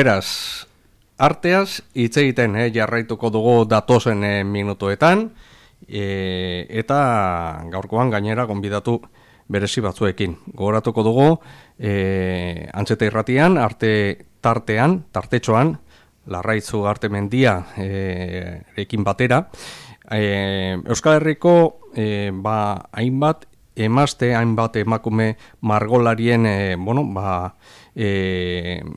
Beraz, arteaz hitz egiten jarraituko dugu datozen minutuetan, eta gaurkoan gainera gonbidatu berezi batzuekin. Gogoratuko dugu, Antxeta Irratian, arte tartean, tartetxoan, Larraitz Ugartemendia ekin batera, Euskal Herriko hainbat emazte, hainbat emakume margolarien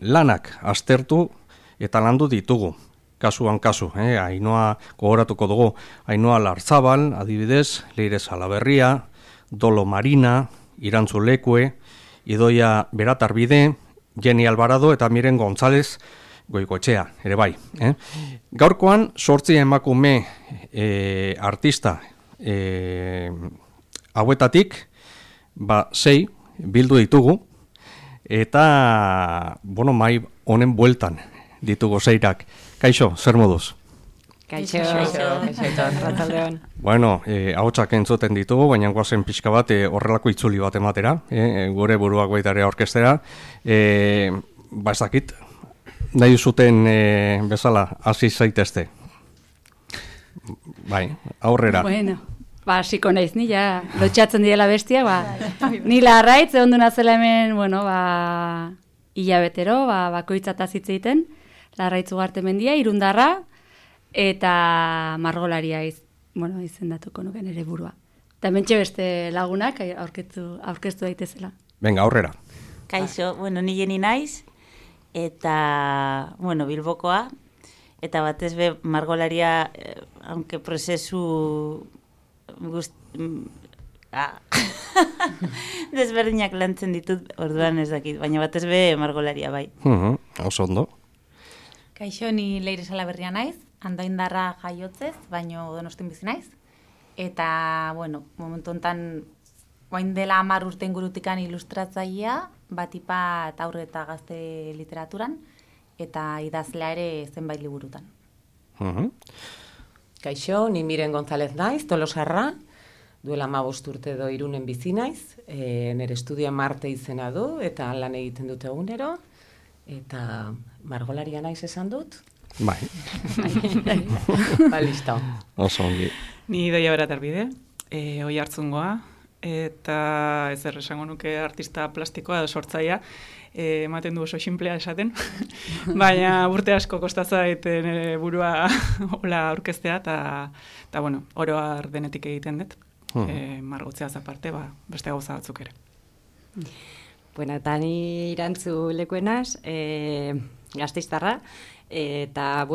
lanak aztertu eta landu ditugu. Kasuan kasu, Ainhoa gogoratuko dugu, Ainhoa Larzabal, adibidez, Leire Salaberria, Dolo Marina, Irantzu Lekue, Idoia Beratarbide, Jenny Alvarado eta Miren González Goikoetxea, ere bai. Gaurkoan, 8 emakume artista hauetatik, 6 bildu ditugu, eta, mai honen bueltan ditugu 6-ak. Kaixo, zer moduz? Kaixo, ratzaldeon. Ahotsak entzuten ditugu, baina guazen pixka bat horrelako itzuli bat ematera, gure buruak baitare orkestera. Ez dakit, nahi zuten bezala, hasi zaitezte. Bai, aurrera. Hasiko naiz, ni ja, lotxatzen direla bestia, ni Larraitz, egon duna zela hemen, hilabetero, bakoitzataz hitz egiten, Larraitz Ugartemendia, Irundarra, eta margolaria izendatuko nuken ere burua. Eta mentxe beste lagunak aurkeztu daitezela. Venga, aurrera. Kaixo, ni Jeni naiz, eta, Bilbokoa, eta batez be margolaria, aunque prozesu desberdinak lantzen ditut, orduan ez dakit, baina batez be margolaria bai. Oso ondo. Kaixo, ni Leire Salaberria naiz, Andoaindarra jaiotzez, baino Donostin bizi naiz. Eta, momentu honetan, orain dela 10 urte ingurutikan ilustratzailea, batipat aurre eta gazte literaturan, eta idazlea ere zenbait liburutan. Kaixo, ni Miren González naiz, Tolosarra, duela 15 urte edo Irunen bizi naiz, nire estudioa Marte izena du, eta lan egiten dute egunero, eta margolaria naiz esan dut? Bai. Listo. Oso ongi. Ni Idoia Beratarbide, Oiartzungoa, eta ez esango nuke artista plastikoa edo sortzailea, ematen du oso simplea esaten, baina urte asko kostatza egiten burua hola aurkeztea, eta oro har denetik egiten dut, margotzeaz aparte, beste gauza batzuk ere. Eta ni Irantzu Lekuenaz, Gasteiztarra, eta,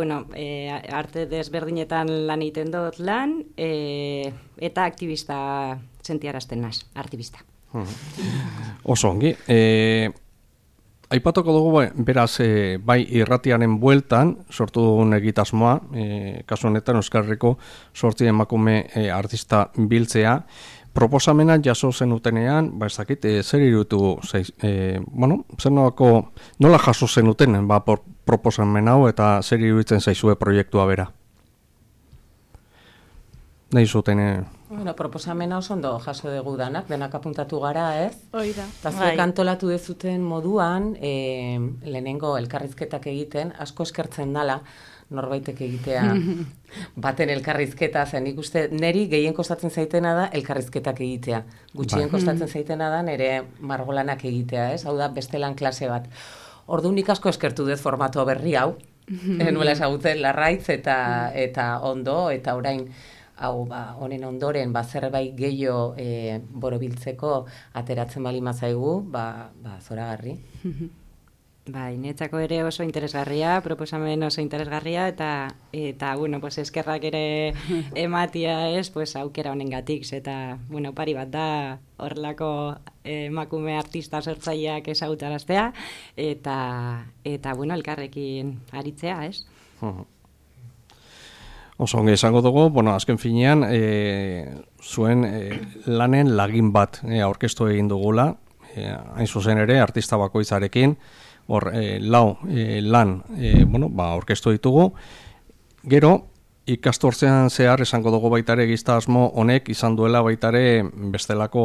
arte desberdinetan lan egiten dut lan, eta aktivista sentiarazten naz, artibista. Oso ongi. Aipatuko dugu, beraz, bai irratiaren bueltan, sortu dugun egitasmoa, kasu honetan Euskal Herriko 8 emakume artista biltzea, proposamena jaso zenutenean, ez dakit, zer iruditu, zer nola jaso zenuten, proposamen hau eta zer iruditzen zaizue proiektua bera? Nahi zuten... Proposamena oso ondo jaso dugu denak apuntatu gara, ez? Oida. Eta zuek antolatu dezuten moduan, lehenengo elkarrizketak egiten, asko eskertzen dala, norbaitek egitea baten elkarrizketa, zen ikuste, neri gehien kostatzen zaitena da elkarrizketak egitea. Gutxien kostatzen zaitena da nire margolanak egitea, ez? Hau da, beste lan klase bat. Orduan nik asko eskertu dut formato berri hau, nuela esagutzen Larraitz eta ondo, eta orain hau honen ondoren zerbait gehiago borobiltzeko ateratzen bali mazaigu, zoragarri. Netzako ere oso interesgarria, proposamen oso interesgarria, eta eskerrak ere ematia ez, aukera honengatik, eta, pari bat da, horrelako emakume artista sortzaileak ezagutaraztea, eta elkarrekin aritzea, ez? Oso ongi esango dugu, azken finean, zuen lanen lagin bat aurkeztu egin dugula, hain zuzen ere, artista bakoitzarekin, lan aurkeztu ditugu. Gero, ikasturtean zehar esango dugu baitare egitasmo honek izan duela baitare bestelako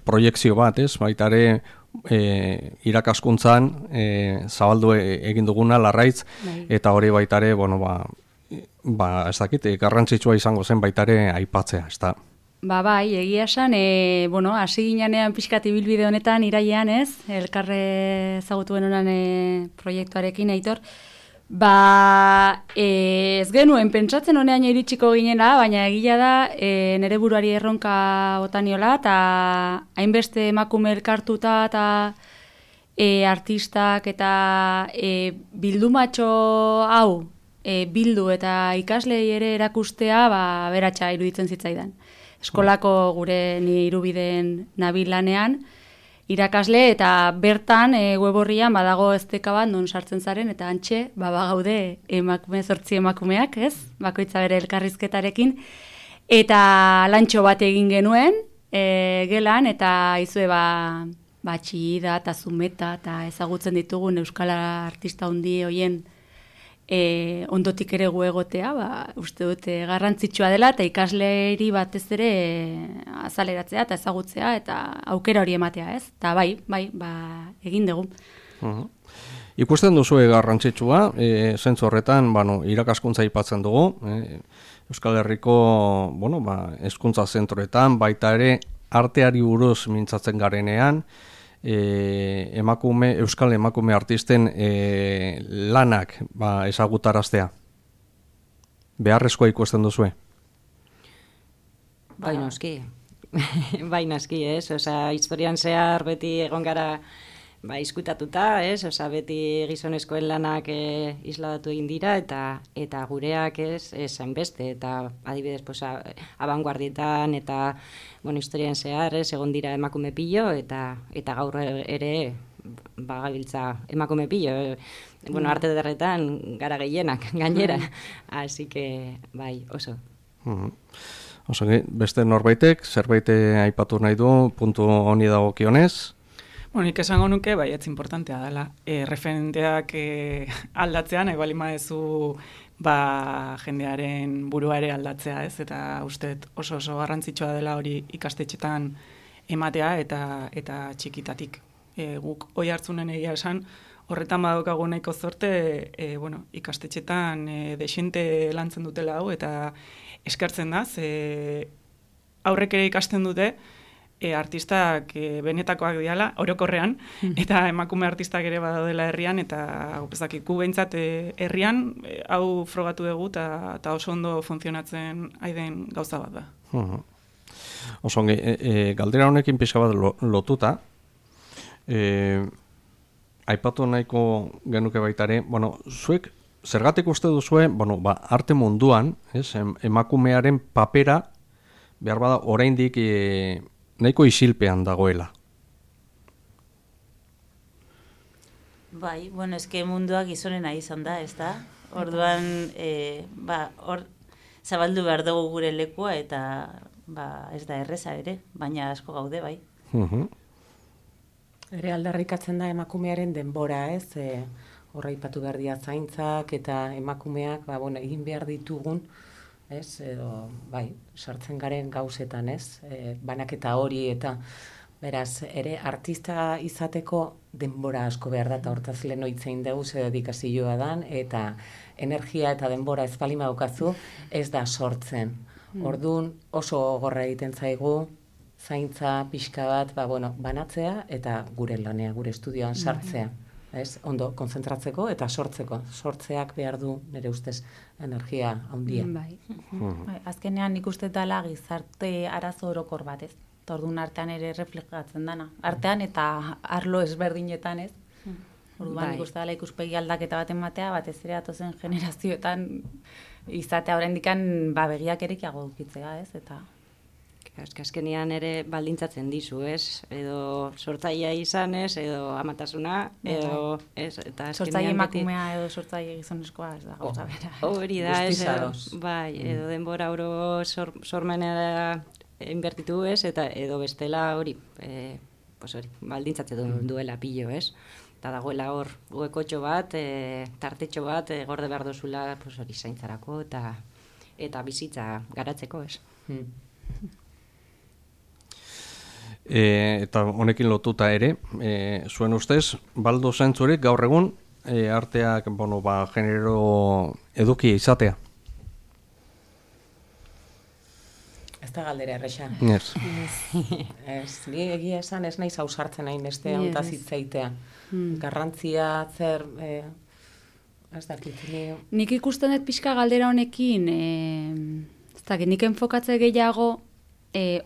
proiekzio bat, ez? Baitare irakaskuntzan zabaldu egin duguna Larraitz, eta hori baitare, ez dakit, garrantzitsua izango zen baitare aipatzea, ez da? Bai, egia esan, hasi ginean pixkat ibilbide honetan, irailean ez, elkarre ezagutuen honan proiektuarekin, Aitor, ez genuen pentsatzen honean iritsiko ginela, baina egia da nere buruari erronka botaniola, eta hainbeste emakume elkartuta eta artistak eta bildumatxo hau bildu eta ikaslei ere erakustea beratxa iruditzen zitzaidan. Eskolako gure ni irubideen nabil lanean, irakasle eta bertan web horrian badago esteka bat non sartzen zaren eta antxe gaude emakume 8 emakumeak, ez? Bakoitza bere elkarrizketarekin eta lantxo bat egin genuen gelan eta izue Txillida eta Zumeta eta ezagutzen ditugun euskal artista handi hoien ondotik ere gu egotea, uste dute garrantzitsua dela eta ikasleri batez ere azaleratzea eta ezagutzea eta aukera hori ematea, ez? Eta bai, egin dugu. Ikusten duzu garrantzitsua, zentzu horretan, irakaskuntza aipatzen dugu, Euskal Herriko, hezkuntza zentroetan, baita ere arteari buruz mintzatzen garenean, euskal emakume artisten lanak ezagutaraztea. Beharrezkoa ikusten duzue? Bai noski. Bai noski, ez? Historian zehar beti egon gara izkutatuta, ez? Beti gizonezkoen lanak isladatu egin dira eta gureak ez hainbeste eta adibidez abanguardietan eta historian zehar egon dira emakume pilo eta gaur ere gabiltza emakume pilo. Arte derretan gara gehienak gainera. Así que bai, oso. Oso, beste norbaitek zerbait aipatu nahi du puntu honi dagokionez? Nik esango nuke, ez importantea dela. Referenteak aldatzean, bali maezu jendearen burua ere aldatzea, ez? Eta uste oso garrantzitsua dela hori ikastetxetan ematea eta txikitatik. Guk hoi hartzunen egia esan, horretan badaukagu nahiko zorte, ikastetxetan desente lantzen dutela hau, eta eskertzen da, aurrek ere ikasten dute, artistak benetakoak diala, orokorrean, eta emakume artistak ere badaudela herrian, eta gu behintzat herrian, hau frogatu dugu, eta oso ondo funtzionatzen aiden gauza bat da. Oso ongi, galdera honekin pixka bat lotuta, aipatu nahiko genuke baitare, zuek, zergatik uste duzue, arte munduan, emakumearen papera, behar bada, oraindik nahiko isilpean dagoela. Bai, eske mundua gizonena izan da, ez da? Orduan, hor zabaldu behar dugu gure lekua eta ez da erreza ere, baina asko gaude, bai. Ere aldarrikatzen da emakumearen denbora, ez? Horra ipatu behar dira zaintzak eta emakumeak, egin behar ditugun, ez, sartzen garen gauzetan, ez, banaketa hori eta, beraz, ere artista izateko denbora asko behar da, eta hortaz lehen oitzein dugu ze dedikazioa dan, eta energia eta denbora ez palima daukazu, ez da sortzen. Orduan oso gogorra egiten zaigu, zaintza, pixka bat, banatzea, eta gure lanea, gure estudioan sartzea. Ondo konzentratzeko eta sortzeko. Sortzeak behar du nire ustez energia handia. Azkenean nik uste dela gizarte arazo orokor bat, ez? Orduan artean ere reflejatzen dana. Artean eta arlo ezberdinetan, ez? Orduan nik uste dela ikuspegi aldaketa baten batea, batez ere atozen generazioetan izatea oraindikan begiak erekiago dukitzea, ez? Eta azkenean ere baldintzatzen dizu, ez? Edo sortzailea izan, ez? Edo amatasuna, edo ez? Sortzaile emakumea edo sortzaile gizonezkoa, ez da gauza bera. Hori da, ez? Edo denbora oro sormenera inbertitu, ez? Eta edo bestela hori, baldintzatzen duela pilo, ez? Eta dagoela hor huekotxo bat, tartetxo bat, gorde behar dozula hori zaintzarako eta bizitza garatzeko, ez? eta honekin lotuta ere, zuen ustez, baldo zentzurek gaur egun arteak genero eduki izatea? Ez da galdera erresa. Ez. Ez, ni egia esan ez naiz ausartzen hain beste hontaz hitzaitea. Garrantzia zer... ez dakit, Nik ikusten dut pixka galdera honekin, ez dakit, nik enfokatze gehiago,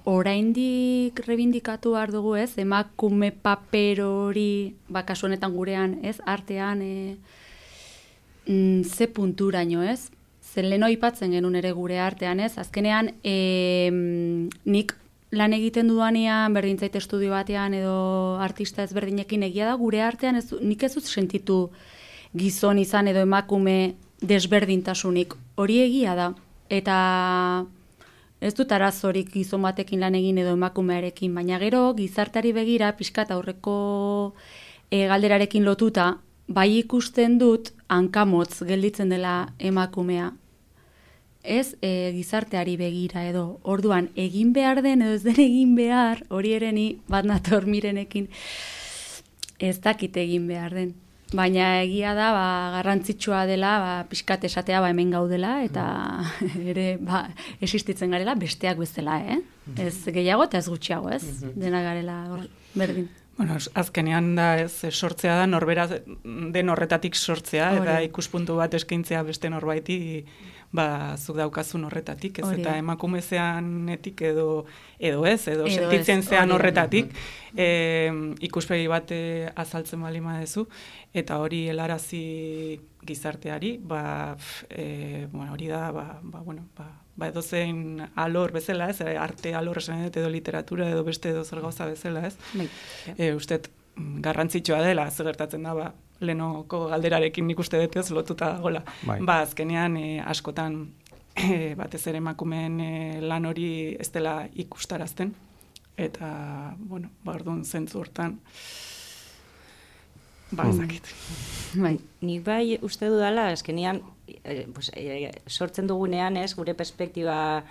oraindik rebindikatu behar dugu, ez? Emakume paper hori, kasu honetan gurean, ez? Artean, ze punturaino, ez? Zer lehen aipatzen genuen ere gure artean, ez? Azkenean, nik lan egiten dudanean, berdintzait estudio batean edo artista ezberdinekin egia da, gure artean nik ez dut sentitu gizon izan edo emakume desberdintasunik. Hori egia da. Eta ez dut arazorik gizon batekin lan egin edo emakumearekin, baina gero gizarteari begira pixkat aurreko galderarekin lotuta, bai ikusten dut hankamotz gelditzen dela emakumea. Ez gizarteari begira edo. Orduan, egin behar den edo ez den egin behar, hori ere ni bat nator Mirenekin ez dakit egin behar den. Baina egia da, garrantzitsua dela, pixkat esatea hemen gaudela, eta ere existitzen garela besteak bezala, Ez gehiago eta ez gutxiago, ez? Dena garela berdin. Bueno, azkenean da sortzea da, norbera den horretatik sortzea, eta ikuspuntu bat eskaintzea beste norbaiti, zuk daukazun horretatik, ez? Eta emakumezeanetik edo sentitzen zean horretatik, ikuspegi bat azaltzen bali madezu, eta hori helarazi gizarteari, hori da, edozein alor bezala, ez? Arte alor esan edo literatura edo beste edo zer gauza bezala, ez? Usted garrantzitsua dela, zer gertatzen da, lehenoko galderarekin nik uste dut ez lotuta dagoela. Azkenean askotan batez ere emakumeen lan hori ez dela ikustarazten, eta, orduan zentzu hortan, ezakit. Nik bai uste dudala, azkenean, sortzen dugunean, gure perspektiba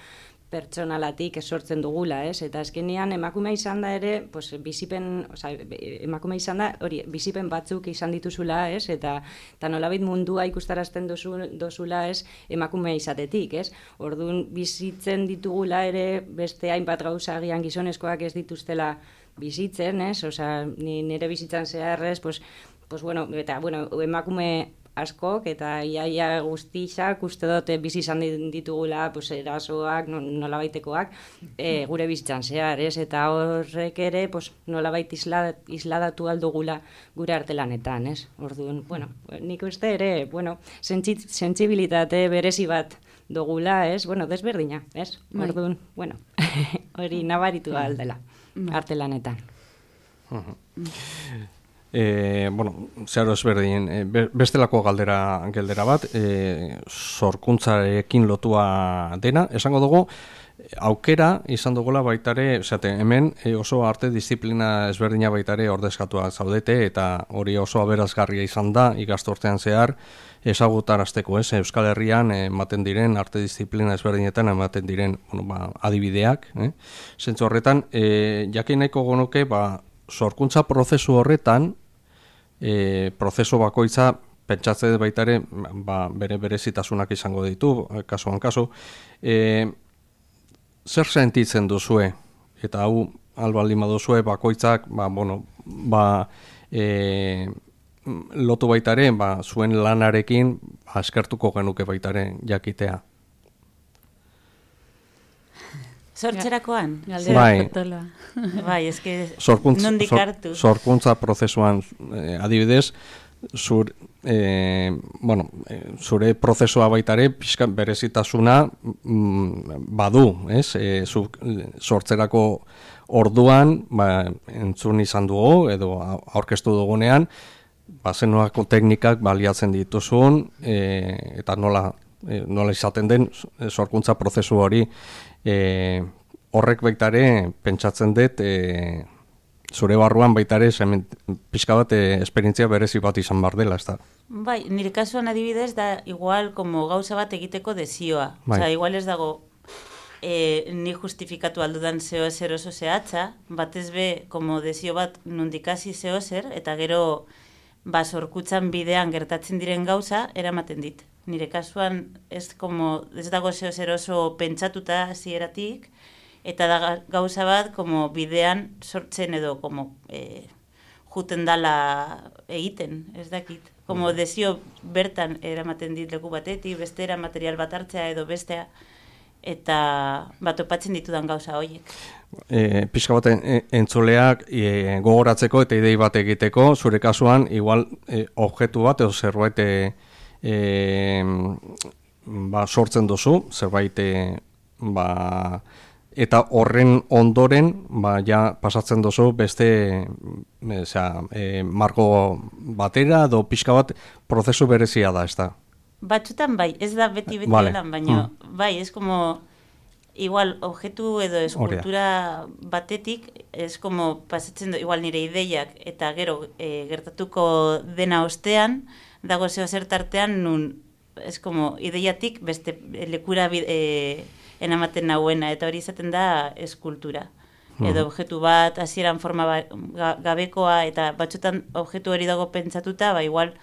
pertsonalatik sortzen dugula, eta azkenean emakume izan da ere, emakume izan da, bizipen batzuk izan dituzula, eta nolabait mundua ikustarazten duzula, emakume izatetik, Orduan bizitzen ditugula ere, beste hainbat gauza agian gizonezkoak ez dituztela bizitzen, nire bizitzan zehar, eta emakume askok, eta iaia guztixak uste dute bizi izan ditugula erasoak, nolabaitekoak, gure bizitzan zehar, eta horrek ere nolabait isladatu aldugula gure artelanetan, Orduan, nik uste ere, sentsibilitate berezi bat dugula, desberdina, Orduan, hori nabaritu aldela artelanetan. Zeharo ezberdin, bestelako galdera bat, sorkuntzarekin lotua dena, esango dugu, aukera izan dugula baitare, hemen oso arte disiplina ezberdina baitare ordezkatua zaudete, eta hori oso aberazgarria izan da, ikasturtean zehar, ezagutarazteko, Euskal Herrian ematen diren, arte disiplina ezberdinetan ematen diren adibideak, zentzu horretan, jakin nahiko gonuke, sorkuntza prozesu horretan, prozesu bakoitza pentsatzen baita ere bere berezitasunak izango ditu, kasuan kasu. Zer sentitzen duzue? Eta hau albaldin baduzue bakoitzak lotu baita ere zuen lanarekin eskertuko genuke baita ere jakitea. Sortzerakoan? Bai, eske nondik hartu. Sorkuntza prozesuan, adibidez, zure prozesua baitare pixkan berezitasuna badu, sortzerako orduan, entzun izan dugu, edo aurkeztu dugunean, zenuako teknikak baliatzen dituzun, eta nola izaten den sorkuntza prozesu hori, horrek baitare pentsatzen dut zure barruan baitare pixka bat esperientzia berezi bat izan bar dela, ez da? Bai, nire kasuan adibidez da igual como gauza bat egiteko desioa. Igual ez dago ni justifikatu aldudan zeo zer oso zehatza, batez be, como desio bat nundikasi zeo zer, eta gero sorkutzan bidean gertatzen diren gauza, eramaten dit. Nire kasuan ez dago zeo zer oso pentsatuta hasieratik, eta da gauza bat como bidean sortzen edo juten dala egiten, ez dakit. Como desio bertan eramaten dit leku batetik, bestera material bat hartzea edo bestea, eta topatzen ditudan gauza horiek. Pixka baten entzuleak gogoratzeko eta idei bat egiteko, zure kasuan, igual objektu bat edo zerbait sortzen duzu, zerbait eta horren ondoren ja pasatzen duzu beste marko batera edo pixka bat prozesu berezia da, ez da? Batzutan bai, ez da beti vale. Lan, baina bai, ez como igual objektu edo eskultura batetik, ez como pasatzen igual nire ideiak eta gero gertatuko dena ostean, dago zeo zer tartean nun, ez como ideiatik beste lekura enamaten nahuena, eta hori izaten da eskultura. Edo objektu bat, hasieran forma gabekoa, eta batzutan objektu hori dago pentsatuta, igual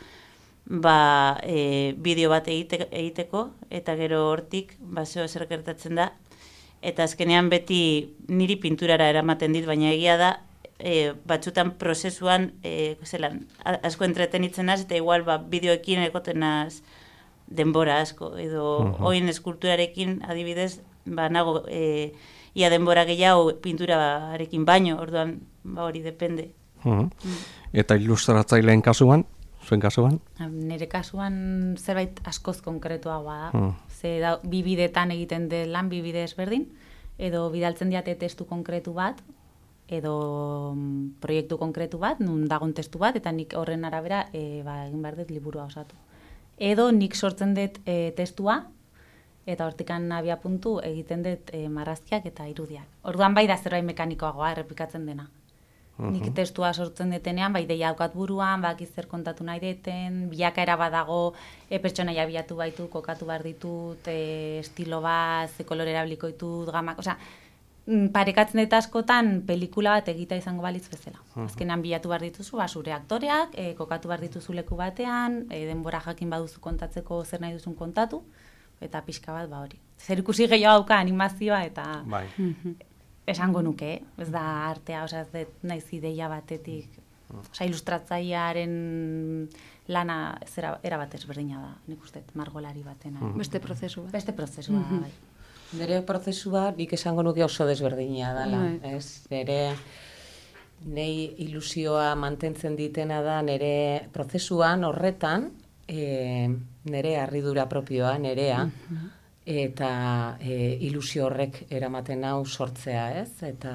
bideo bat egiteko, eta gero hortik zeo zer gertatzen da, eta azkenean beti niri pinturara eramaten dit, baina egia da, batzutan prozesuan asko entretenitzen az, eta igual bideoekin ekotenaz denbora asko, edo oin eskulturarekin adibidez, nago ia denbora gehiago pinturarekin baino, orduan hori depende. Eta ilustratzaileen kasuan? Zuen kasuan? Nire kasuan zerbait askoz konkretuagoa da. Ze bi bidetan egiten den lan, bi bide ezberdin, edo bidaltzen diate testu konkretu bat, edo proiektu konkretu bat, nun dagon testu bat, eta nik horren arabera egin behar dut liburua osatu. Edo nik sortzen dut testua, eta hortikan abia puntu egiten dut marrazkiak eta irudiak. Orduan bai da zerbait mekanikoagoa errepikatzen dena. Nik testua sortzen detenean, ideia daukat buruan, zer kontatu nahi deten, bilakaera badago, pertsonaia bilatu baitu, kokatu behar ditut, estilo bat, ze kolore erabiliko ditut, gamak, parekatzen dut askotan pelikula bat egita izango balitz bezala. Azkenean bilatu behar dituzu, zure aktoreak, kokatu behar dituzu leku batean, denbora jakin baduzu kontatzeko zer nahi duzun kontatu, eta pixka bat hori. Zer ikusi gehiago dauka animazioa eta... Esango nuke, ez da artea, ez dut naiz ideia batetik, ilustratzailearen lana era bat ezberdina da, nik uste, margolari batena. Beste prozesu bat. Beste prozesua, bai. Nire prozesua nik esango nuke oso desberdina dela, ez? Nei ilusioa mantentzen ditena da nire prozesuan horretan, nire harridura propioa, nirea, eta ilusio horrek eramaten hau sortzea, ez? Eta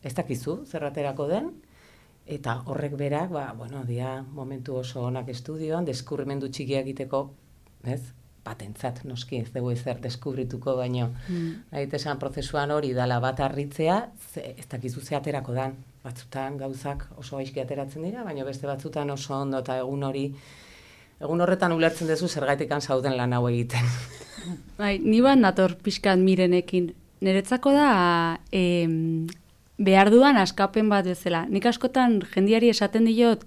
ez dakizu zerraterako den, eta horrek berak, dia momentu oso onak estudioan, deskubrimendu txikia egiteko, ez? Batentzat, noski, ez dugu ezer deskubrituko, baino, esan prozesuan hori dala bat harritzea, ez dakizu ze aterako dan. Batzutan gauzak oso gaizki ateratzen dira, baina beste batzutan oso ondo, eta egun horretan ulertzen duzu zergaitikan zauden lan hau egiten. Bai, ni bat nator pixkat Mirenekin. Niretzako da behar dudan askapen bat bezala. Nik askotan jendiari esaten diot,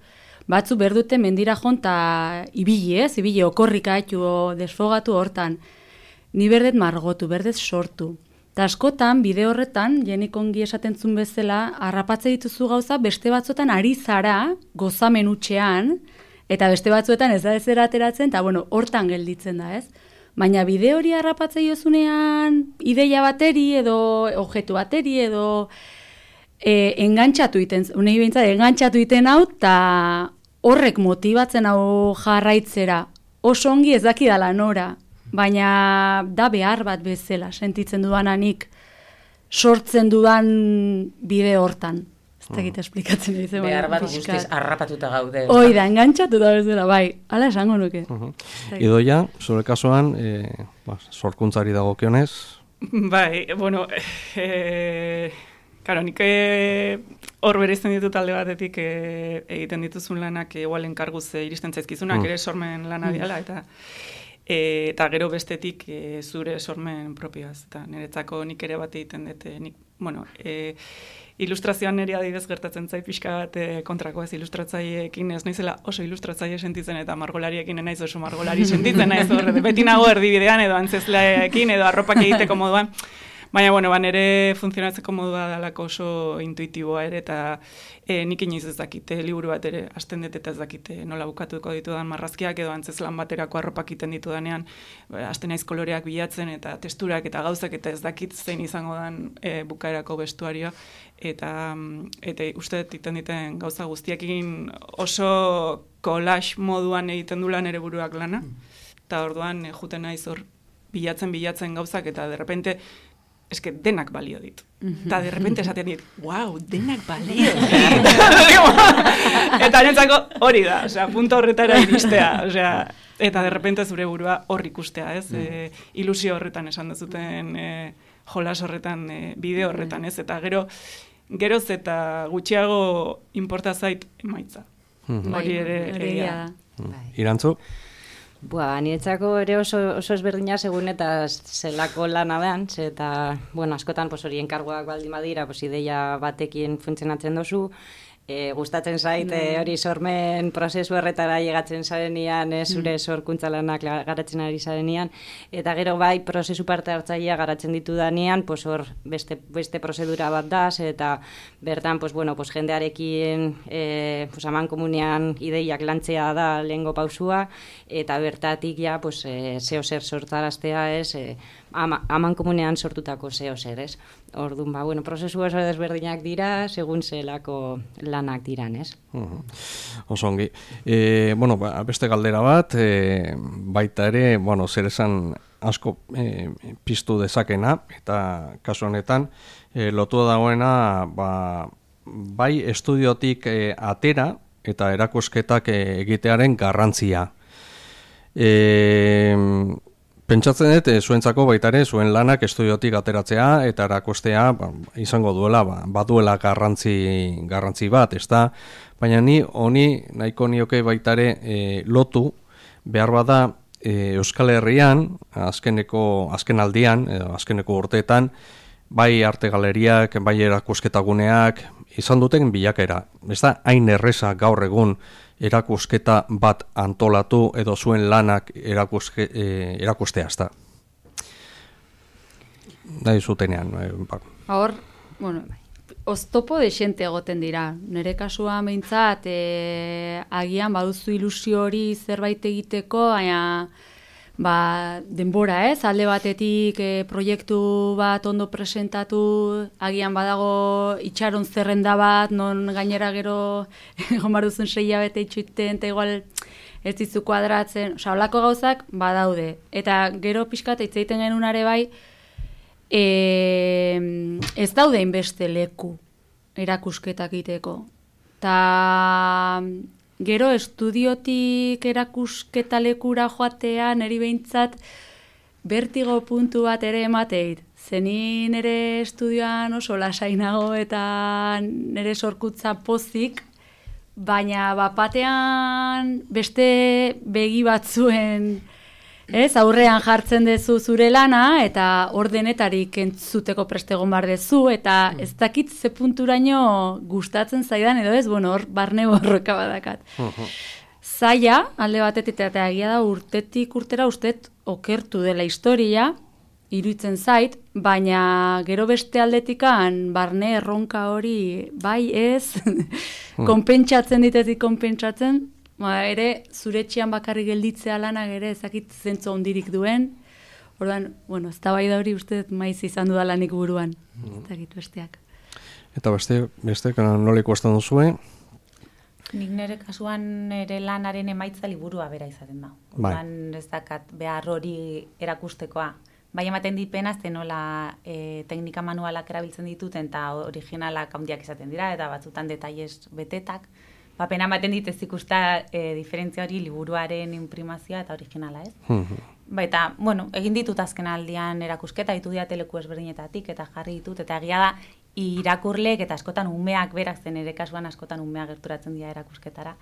batzu behar dute mendira jonta ibili okorrika haitu desfogatu hortan. Ni berdet margotu, berdet sortu. Eta askotan, bide horretan, jenik ongi esaten zuen bezala, harrapatze dituzu gauza, beste batzuetan ari zara, gozamen hutsean, eta beste batzuetan ez da ezera ateratzen, eta hortan gelditzen da, ez? Baina bide hori harrapatzea jozunean ideia bateri edo objektu bateri edo engantxatu iten hau eta horrek motibatzen hau jarraitzera. Oso ongi ez dakidala nora, baina da behar bat bezala sentitzen dudanik sortzen dudan bide hortan. Ez dakit esplikatzen ditzen. Behar bat guztiz harrapatuta gaude. Hoi da, engantxatuta bezala, bai. Hala esango nuke. Idoia, zure kasuan, sorkuntzari dagokionez? Bai, karo, nik hor bereizten ditut alde batetik egiten dituzun lanak igual enkarguz iristen zaizkizunak, ere sormen lana diala, eta eta gero bestetik zure sormen propioaz. Eta niretzako nik ere bat egiten dut, ilustrazioan niri adibidez gertatzen zait pixka bat kontrako ez ilustratzaileekin ez naizela oso ilustratzaile sentitzen eta margolariekin naiz oso margolari sentitzen naiz beti nago erdibidean edo antzezleekin edo arropak egiteko moduan. Baina, nire funtzionatzeko modua dalako oso intuitiboa ere, eta nik inoiz ez dakite, liburu bat ere, hasten dut eta ez dakite nola bukatuko ditudan marrazkiak edo antzezlan baterako arropak egiten ditudanean, hasten naiz koloreak bilatzen eta testurak eta gauzak eta ez dakit zein izango den bukaerako bestuarioa, eta uste egiten diten gauza guztiekin oso collage moduan egiten du lan ere buruak lana, eta orduan juten naiz hor bilatzen gauzak eta derrepente eske denak balio ditu. Eta derrepente esaten dit, wow, denak balio ditu. Eta nentzako hori da, punto horretara iristea. Eta derrepente zure burua hor ikustea, ez? Ilusio horretan esan duzuten, jolas horretan, bideo horretan, ez? Eta geroz eta gutxiago inporta zait emaitza. Hori ere egia da. Irantzu? Niretzako ere oso ezberdina segun eta zelako lana behan, eta, askotan hori enkargoak baldin badira, ideia batekin funtzionatzen dozu, gustatzen zait hori sormen prozesu horretara llegatzen zarenean, zure sorkuntza lanak garatzen ari zarenean, eta gero bai prozesu parte hartzailea garatzen ditudanean, hor beste prozedura bat da, eta bertan jendearekin amankomunean ideiak lantzea da lehengo pausua, eta bertatik ja zeo zer sortaraztea ez, amankomunean sortutako zeo zer ez. Orduan, prozesu oso desberdinak dira, segun zelako lanak diran, ez? Oso ongi. Beste galdera bat, baita ere, zer esan asko piztu dezakena, eta kasu honetan, lotu dagoena, bai estudiotik atera, eta erakusketak egitearen garrantzia. Pentsatzen dut, zuentzako baita ere, zuen lanak estudiotik ateratzea eta erakustea izango duela, baduela garrantzi bat, ezta? Baina ni honi nahiko nioke baita ere lotu, behar bada Euskal Herrian, azken aldian, azkeneko urteetan, bai arte galeriak, bai erakusketaguneak, izan duten bilakera. Ez da, hain erreza gaur egun erakusketa bat antolatu edo zuen lanak erakustea, ez da. Nahi zutenean. Hor, oztopo desente egoten dira. Nere kasua behintzat, agian baduzu ilusio hori zerbait egiteko, baina denbora ez, alde batetik proiektu bat ondo presentatu, agian badago itxaron zerrenda bat, non gainera gero egon bar duzun 6 hilabete itxuiten, eta igual ez dizu kuadratzen, holako gauzak badaude. Eta gero pixkat hitz egiten genunare bai, ez daude inbeste leku erakusketak egiteko. Ta gero estudiotik erakusketa lekura joatea niri behintzat bertigo puntu bat ere emateit. Zenin nire estudioan oso lasainago eta nire sorkuntza pozik, baina bapatean beste begi batzuen aurrean jartzen dezu zure lana eta ordenetarik entzuteko prestegon bar dezu eta ez dakit ze punturaino gustatzen zaidan edo ez, hor barne borroka badakat. Zaila, alde batetik eta egia da urtetik urtera ustet okertu dela historia, iruditzen zait, baina gero beste aldetikan barne erronka hori bai ez, konpentsatzen ditetik konpentsatzen, ere zure etxean bakarrik gelditzea lanak ere ezakit zentzu hondirik duen. Orduan, eztabaida hori uste maiz izan dudalanik buruan. Ezakit besteak. Eta beste nola ikusten duzue? Nik nire kasuan ere lanaren emaitza liburua bera izaten da. Orduan ez dakat behar hori erakustekoa. Bai ematen dit pena, nola teknika manualak erabiltzen dituten eta originalak handiak izaten dira eta batzutan detailes betetak. Pena ematen dit ez ikusta diferentzia hori liburuaren imprimazioa eta originala, ez? Eta, egin ditut azken aldian erakusketa, ditu dira teleku ezberdinetatik eta jarri ditut, eta egia da irakurleek eta askotan umeak berak, zen ere kasuan askotan umeak gerturatzen dira erakusketara,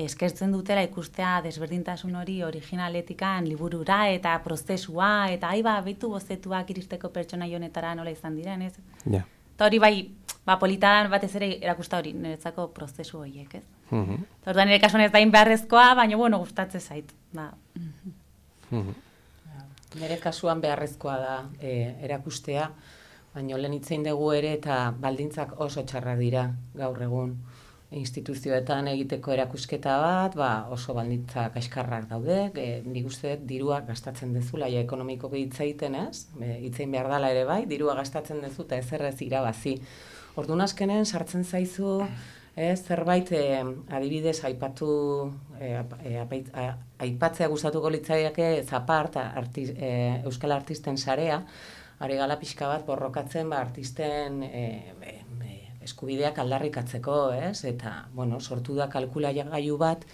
eskertzen dutela ikustea desberdintasun hori originaletikan liburura eta prozesua, eta behitu bozetuak iristeko pertsonai honetara nola izan diren, ez? Ja. Eta hori bai, politan batez ere erakusta hori, niretzako prozesu horiek, ez? Eta orduan nire kasuan ez dain beharrezkoa, baina gustatzen zait. Nire kasuan beharrezkoa da erakustea, baina lehen itzein dugu ere eta baldintzak oso txarrak dira gaur egun. Instituzioetan egiteko erakusketa bat, oso baldintzak kaskarrak daude, nik uste dirua gastatzen dezula, ja ekonomikoki hitz egiten ez, hitzein behar dela ere bai, dirua gastatzen dezu eta ezerrez irabazi. Orduan azkenen sartzen zaizu, zerbait adibidez aipatzea gustatuko litzaiake Zapart, Euskal Artisten Sarea, ari gala pixka bat borrokatzen artisten eskubideak aldarrikatzeko, ez? Eta, sortu da kalkulagailu bat,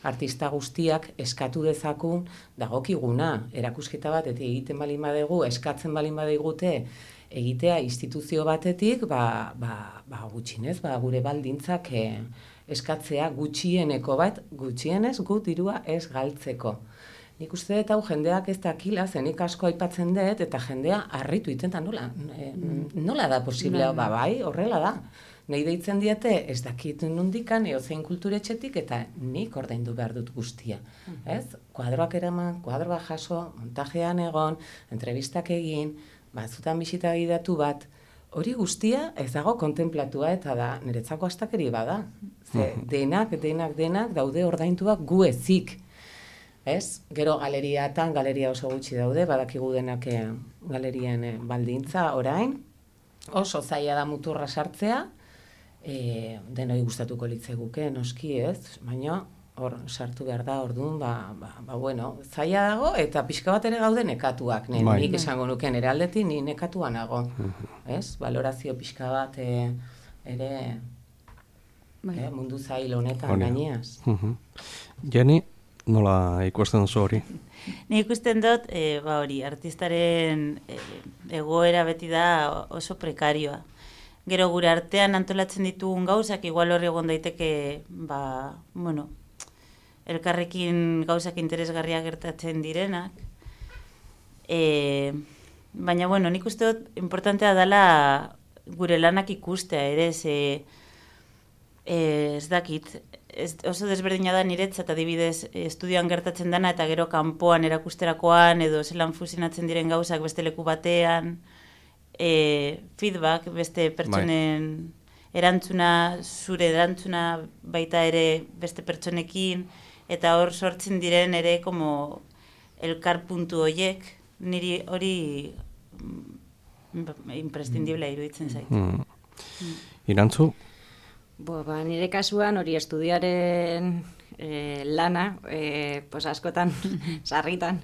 artista guztiak eskatu dezakun dagokiguna, erakusketa bat, eta egiten balin badegu, eskatzen balin badigute, egitea instituzio batetik, gutxinez, gure baldintzak eskatzea gutxieneko bat, gutxienez gu dirua ez galtzeko. Nik uste dut hau jendeak ez dakila, zenik asko aipatzen dut, eta jendea harritu iten da nola da posiblea, bai, horrela da. Nei deitzen diete ez dakit nondikan, eozein kulturetxetik, eta nik ordaindu behar dut guztia. Ez? Kuadroak eraman, kuadroak jaso, montajean egon, entrevistak egin, zutan bisita gidatu bat, hori guztia ez dago kontemplatua eta da, niretzako astakeri bada. Denak daude ordaintuak gu ezik. Ez? Gero galeriatan, galeria oso gutxi daude, badakigu denak galerien baldintza orain, oso zaila da muturra sartzea, denoi gustatuko litzeguke, noski ez, baina hor sartu behar da orduan, zaila dago eta pixka bat ere gaude nekatuak, nik esango nuke nire aldetik, ni nekatua nago, ez? Valorazio pixka bat ere mundu zail honetan gaineaz. Jenny, nola ikusten duzu hori? Ni ikusten dut, artistaren egoera beti da oso prekarioa. Gero gure artean antolatzen ditugun gauzak, igual horri egon daiteke, elkarrekin gauzak interesgarriak gertatzen direnak. Baina, nik uste dut, importantea dela gure lanak ikustea, ere, ez dakit, oso desberdina da niretzat adibidez estudioan gertatzen dana eta gero kanpoan erakusterakoan edo zelan fusionatzen diren gauzak beste leku batean, feedback, beste pertsonen erantzuna, zure erantzuna baita ere beste pertsonekin, eta hor sortzen diren ere como elkar puntu horiek, niri hori imprescindible iruditzen zait. Irantzu? Nire kasuan hori estudiaren lana, askotan, sarritan,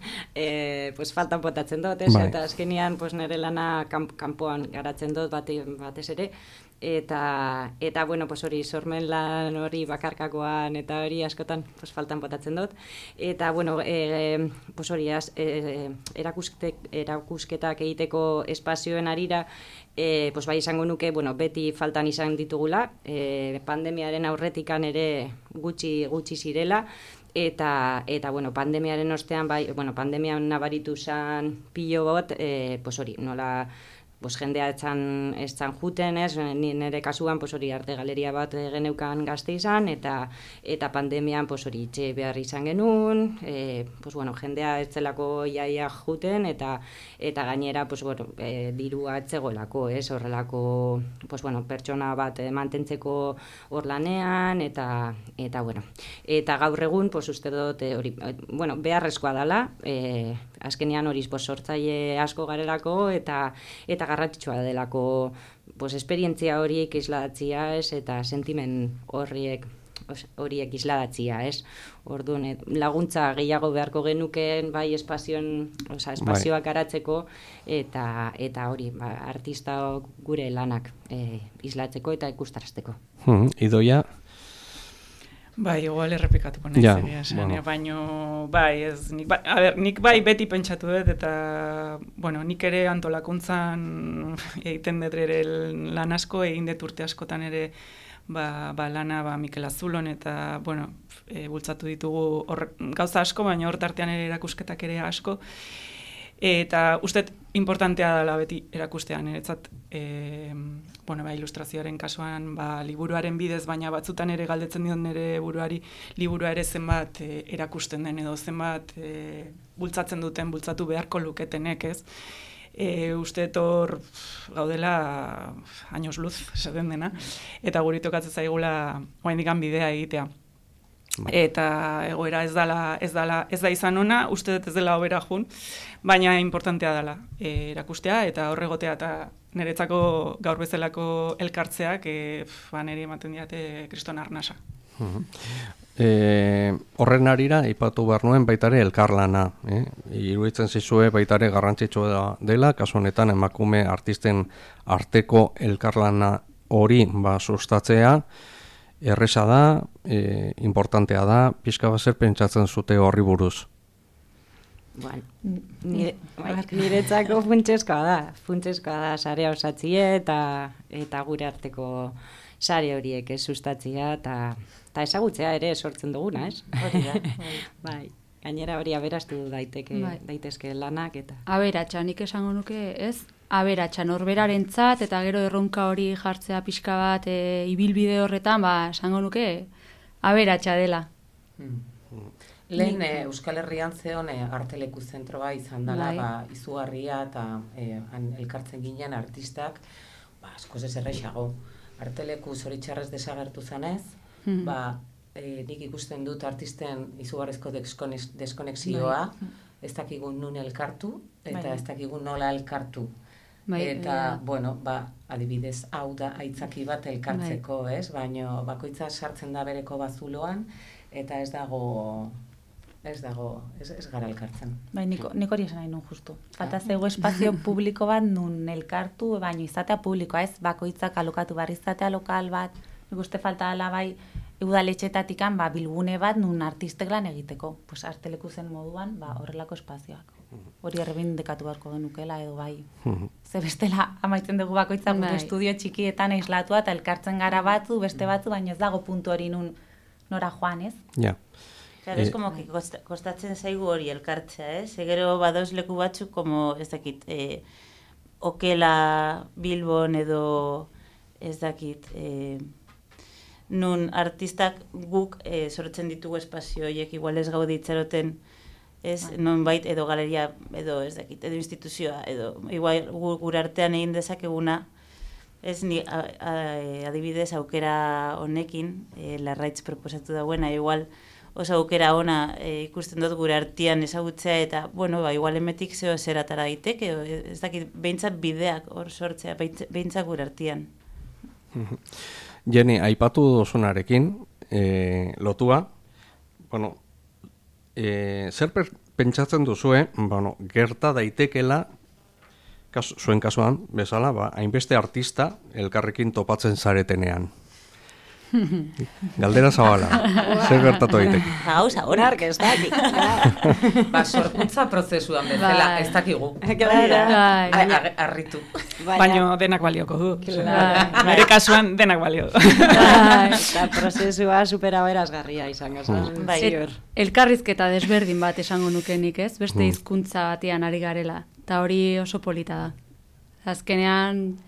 faltan botatzen dut, eta azkenian nire lana kanpoan garatzen dut batez ere, eta hori sormen lan hori bakarkakoan eta hori askotan faltan botatzen dut, eta hori erakusketak egiteko espazioen arira, bai izango nuke, beti faltan izan ditugula, pandemiaren aurretikan ere gutxi zirela, eta pandemiaren ostean, pandemian nabaritu zen pilo bot, hori, nola, jendea etzan juten, nire kasuan hori arte galeria bat geneukan Gazte izan, eta pandemian hori itxe behar izan genuen, jendea etzelako iaia juten, eta gainera dirua etzegoelako, horrelako pertsona bat mantentzeko hor lanean, eta gaur egun uste dut hori, beharrezkoa dela, azkenean hori sortzaile asko garelako, eta garrantzitsua delako esperientzia horiek isladatzia, eta sentimen horiek isladatzia, Orduan, laguntza gehiago beharko genukeen bai espazioak garatzeko, eta hori, artista gure lanak islatzeko eta ikustarazteko. Idoia? Bai, igual errepikatuko nahi Ja, zeria esan, bueno. baino, bai, ez, nik bai beti pentsatu dut, eta, bueno, nik ere antolakuntzan egiten dut ere lan asko, egin dut urte askotan ere, lana Mikel Azulon, eta, bueno, bultzatu ditugu gauza asko, baina hor tartean ere erakusketak ere asko, eta uste importantea dela beti erakustean, niretzat, ilustrazioaren kasuan, liburuaren bidez, baina batzutan ere galdetzen dion nire buruari, liburua ere zenbat erakusten den, edo zenbat bultzatu beharko luketenek, ez? Uste hor gaudela años luz, esaten dena, eta guri tokatzen zaigula oraindikan bidea egitea. Eta egoera ez da izan ona, uste dut ez dela hobera jun, baina importantea dela erakustea eta horregotea eta niretzako gaur bezalako elkartzeak niri ematen diate kriston arnasa. Horren arira, ipatu behar nuen baitare elkarlana. Iruditzen zizue baitare garrantzitsua dela, kasu honetan emakume artisten arteko elkarlana hori sustatzea, erresa da, importantea da, pixka bat zer pentsatzen zute horri buruz? Bueno, niretzako funtseskoa da sarea osatzie eta gure arteko sare horiek sustatzea eta ezagutzea ere sortzen duguna, ez? Hori da. Bai, gainera hori aberastu daitezke lanak eta... Aberatsa, nik esango nuke, ez? Aberatsa, norberarentzat eta gero erronka hori jartzea pixka bat ibilbide horretan, esango nuke aberatsa dela. Lehen Euskal Herrian zeon arteleku zentroa izan dela, izugarria eta elkartzen ginen artistak, askoz ez errexago. Arteleku zoritxarrez desagertu zanez, nik ikusten dut artisten izugarrizko deskonexioa, ez dakigun nun elkartu, eta ez dakigun nola elkartu. Eta, adibidez, hau da aitzaki bat elkartzeko, ez? Baina bakoitza sartzen da bereko bazuloan, eta ez gara elkartzen. Bai, nik hori esan nahi nun justu. Falta zego espazio publiko bat nun elkartu, baina izatea publikoa, ez? Bakoitzak alokatu barri izatea lokal bat, nik uste falta dela bai udaletxetatikan bilgune bat nun artistek lan egiteko. Pues arteleku zen moduan, horrelako espazioak. Hori errebindekatu beharko genukela edo bai. Ze bestela amaitzen dugu bakoitzak gure estudio txikietan aislatua eta elkartzen gara beste batzu, baina ez dago puntu hori nun nora joan, ez? Ja. Claro, es como que kostatzen zaigu hori elkartzea, ez? Gero badoz leku batzuk, como ez dakit, Okela, Bilbon edo ez dakit, nun artistak guk sortzen ditugu espazio horiek, igual ez gaude itxaroten, ez, non bait, edo galeria, edo ez dakit, edo instituzioa, edo igual gure artean egin dezakeguna, ez ni adibidez aukera honekin, Larraitz proposatu dauena, igual oso aukera ona ikusten dut gure artean ezagutzea, eta, igual emetik zeo zeratara daiteke, ez dakit, behintzat bideak hor sortzea, behintzat gure artean. Jenny, aipatu dozunarekin, lotua, zer pentsatzen duzue, gerta daitekela, zuen kasuan, bezala, hainbeste artista elkarrekin topatzen zaretenean. Galdera zabala, zer gertatu daiteke? Gauza, honak ez dakik. Sorkuntza prozesuan bezala, ez dakigu. Arritu. Baina denak balioko du. Nire kasuan denak balio du. Eta prozesua supera berazgarria izango zen. Elkarrizketa desberdin bat esango nukenik, ez? Beste hizkuntza batean ari garela. Eta hori oso polita da. Azkenean,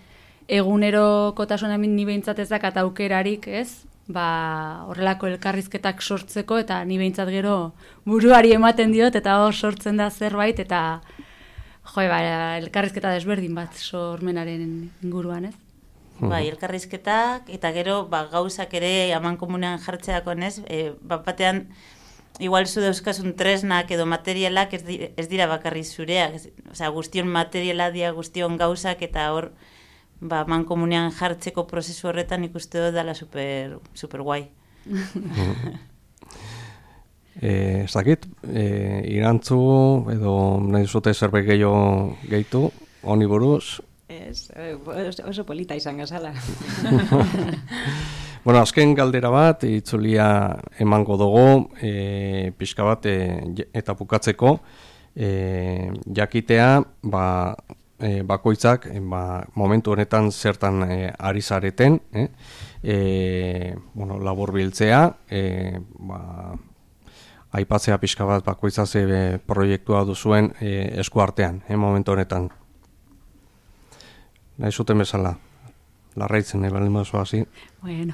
egunero kotasuna ni behintzat ez dakat aukerarik, ez? Horrelako elkarrizketak sortzeko, eta ni behintzat gero buruari ematen diot, eta hor sortzen da zerbait, eta elkarrizketa desberdin bat sormenaren inguruan, ez? Bai, elkarrizketak, eta gero gauzak ere aman komunean jartzeako, ez? Batean, igual zu dauzkasun tresnak edo materialak ez dira bakarri zureak, guztion materiala dira, guztion gauzak, eta hor mankomunean jartzeko prozesu horretan ikuste dut dela super guai. Ez dakit, irantzu edo nahi zute zerbait gehitu, honi buruz? Oso polita izan gazala. Bueno, azken galdera bat, itzulia emango dugu, pixka bat, eta bukatzeko, jakitea, bakoitzak, momentu honetan zertan ari zareten, labur biltzea, aipatzea pixka bat bakoitza ze proiektua duzuen eskuartean, momentu honetan. Nahi zuten bezala. Larraitzen, baldin baduzu hasi. Bueno.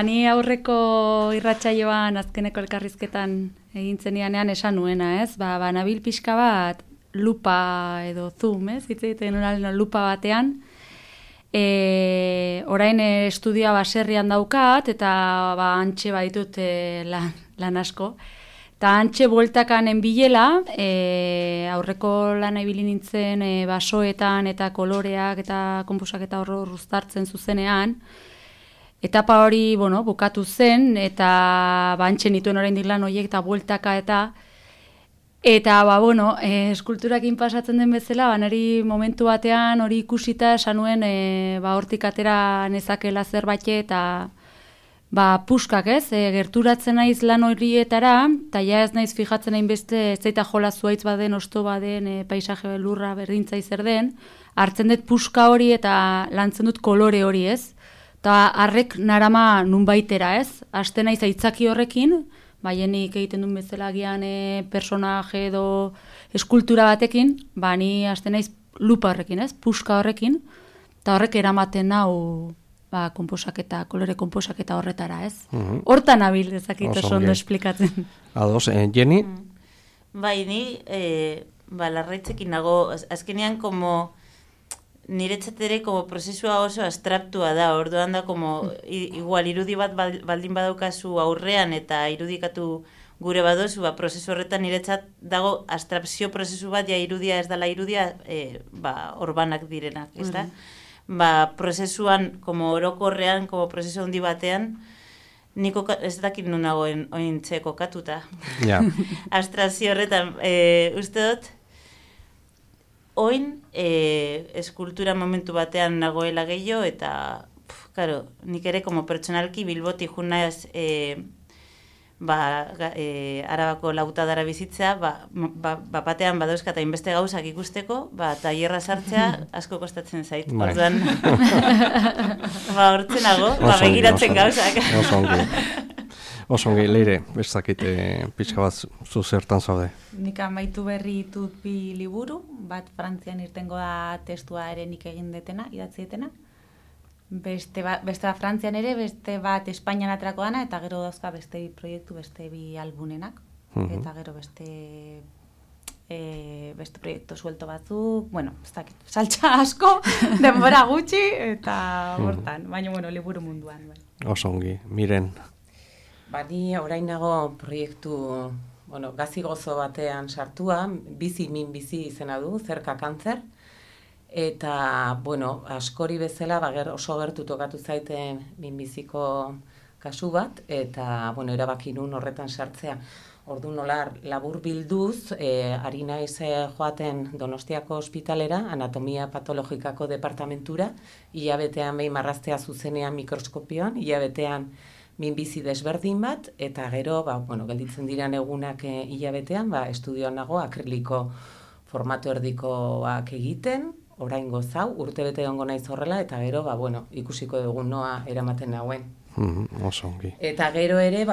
Ni aurreko irratsaioan azkeneko elkarrizketan egin zenianean esan nuena, ez? Nabil pixka bat lupa edo zoom, ez? Hitz egiten lupa batean. Orain estudioa baserrian daukat eta antxe baditut lan asko. Eta antxe bueltakanen bilela, aurreko lana ibili nintzen basoetan eta koloreak eta konposak eta horro uztartzen zuzenean. Etapa hori, bukatu zen, eta antxe nituen oraindik lan horiek eta bueltaka eta eskulturakin pasatzen den bezala, niri momentu batean hori ikusita esan nuen hortik atera nezakela zerbait eta puskak ez, gerturatzen naiz lan horietara, eta ja ez naiz fijatzen hainbeste ez zaita jola zuaitz baden, osto baden, paisaje lurra berdintza zer den, hartzen dut puska hori eta lantzen dut kolore hori ez, eta harrek narama nunbaitera ez, hasten naiz aitzaki horrekin, baienik egiten duen bezala gian personaje edo eskultura batekin, ni hasten naiz lupa horrekin ez, puska horrekin, eta horrek eramaten nau konposaketa, kolore konposaketa horretara, ez? Hortan nabil ezakit oso ondo esplikatzen. Ados, Jenny? Bai, ni larraitzekin nago, azkenean niretzat ere prozesua oso abstraktua da, orduan da igual irudi bat baldin badaukazu aurrean eta irudikatu gure badozu, prozesu horretan niretzat dago abstrakzio prozesu bat, irudia ez dela irudia, orbanak direnak, ez da? Prozesuan, orokorrean, prozesu handi batean, niko ez dakit nun nagoen ointze kokatuta. Abstrakzio horretan, uste dut, oin eskultura momentu batean nagoela gehiago, eta, nik ere, pertsonalki bilboti junaz Arabako lautadara bizitzea, batean badauzkat hainbeste gauzak ikusteko, tailerra sartzea asko kostatzen zait. Orduan, hortzenago, begiratzen gauzak. Oso ongi, Leire, bezakit pixka bat zu zertan zaude. Nik amaitu berri ditut 2 liburu, bat Frantzian irtengo da testua ere nik egin detena, idatzi detena. Beste bat Frantzian ere, beste bat Espainian aterako dana, eta gero dauzka beste 2 proiektu, beste 2 albunenak, eta gero beste proiektu suelto batzuk, ez dakit, saltxa asko, denbora gutxi, eta hortan, baina, liburu munduan. Oso ongi, Miren. Ni orain nago proiektu, gazi gozo batean sartua, bizi min bizi izena du, zerka kantzer, eta, askori bezala, oso gertu tokatu zaiten minbiziko kasu bat, eta, erabaki nun horretan sartzea. Ordu nolar, labur bilduz, ari naiz joaten Donostiako ospitalera, anatomia patologikako departamentura, hilabetean behin marraztea zuzenean mikroskopioan, hilabetean minbizi desberdin bat, eta gero, gelditzen diran egunak hilabetean, estudioan nago akriliko formatu erdikoak egiten, orain gozau, urtebete egongo naiz horrela, eta gero, ikusiko dugun noa eramaten nauen. Oso ongi. Eta gero ere,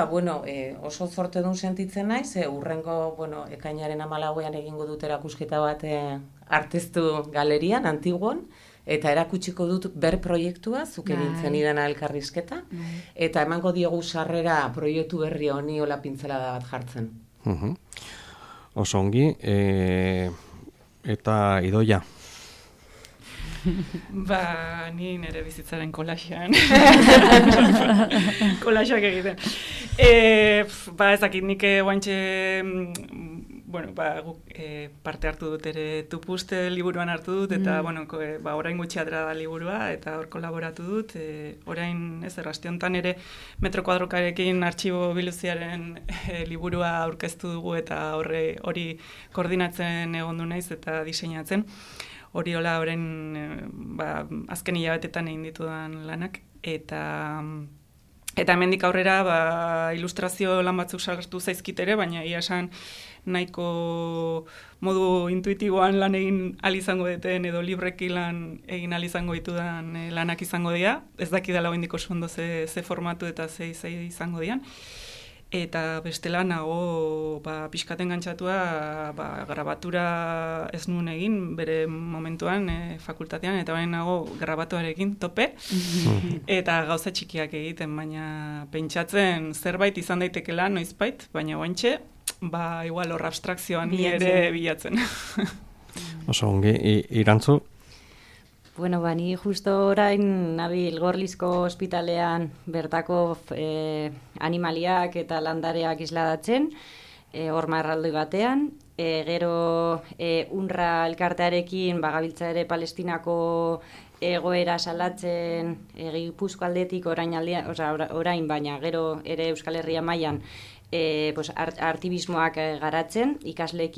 oso zortedun sentitzen naiz, urrengo, ekainaren 14ean egingo dut erakusketa bat arteztu galerian, Antiguon, eta erakutsiko dut ber proiektua, zuke nintzen idana elkarrizketa, eta emango diogu sarrera proiektu berri honi hola pintzelada bat jartzen. Oso ongi, eta Idoia. Ni nire bizitzaren kolaxean. Kolaxeak egiten. Ezakit, nik guantxe, parte hartu dut ere Tupuste liburuan hartu dut, eta, orain gutxi atera da liburua, eta hor kolaboratu dut. Orain, errazte honetan ere Metro Kuadrokarekin artxibo biluziaren liburua aurkeztu dugu, eta hori koordinatzen egondu naiz eta diseinatzen. hori hola horren azken hilabetetan egin ditudan lanak, eta hemendik aurrera ilustrazio lan batzuk sartu zaizkit ere, baina ia esan nahiko modu intuitiboan lan egin izango deten edo libreki lan egin izango ditudan lanak izango dira. Ez dakidala oraindik oso ondo ze formatu eta ze izango dian. Eta bestela nago pixkaten gantzatua grabatura ez nuen egin bere momentuan fakultatean, eta baina nago grabatuarekin tope eta gauza txikiak egiten, baina pentsatzen zerbait izan daitekela noizbait, baina oantxe igual hor abstrakzioan ere bilatzen. Oso ongi, Irantzu? Bueno, ni justo orain nabil Gorlizko ospitalean bertako animaliak eta landareak isladatzen, horma erraldoi batean, gero UNRWA elkartearekin gabiltza ere Palestinako egoera salatzen Gipuzko aldetik orain, baina gero ere Euskal Herria mailan artibismoak garatzen ikasle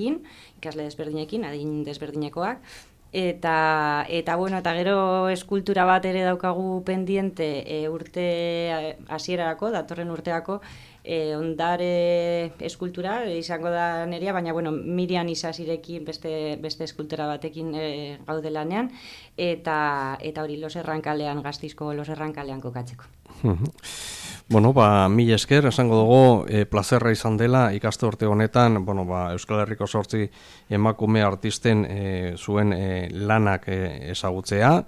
desberdinekin, adin desberdinekoak, eta gero eskultura bat ere daukagu pendiente urte hasierarako, datorren urteako, ondare eskultura izango da nerea, baina Miriam Isasirekin beste eskultura batekin gaude lanean, eta hori Los Errankalean, Gasteizko Los Errankalean kokatzeko. Mila esker, esango dugu, plazerra izan dela ikaste urte honetan, Euskal Herriko 8 emakume artisten zuen lanak ezagutzea.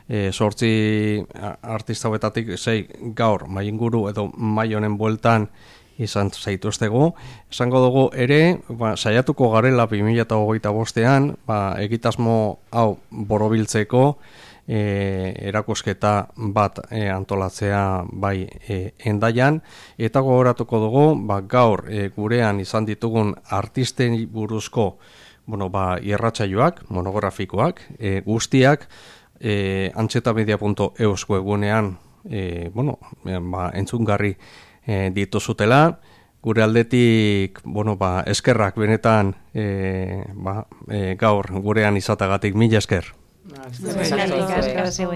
8 artista hauetatik 6 gaur mainguru edo mai honen bueltan izan zaituztegu. Esango dugu ere, saiatuko garela 2025ean, egitasmo hau borobiltzeko, erakusketa bat antolatzea bai Hendaian, eta gogoratuko dugu gaur gurean izan ditugun artisten buruzko irratsaioak, monografikoak, guztiak antxetamedia.eus webunean entzungarri dituzutela. Gure aldetik eskerrak benetan gaur gurean izatagatik, mila esker. Eskerrik asko.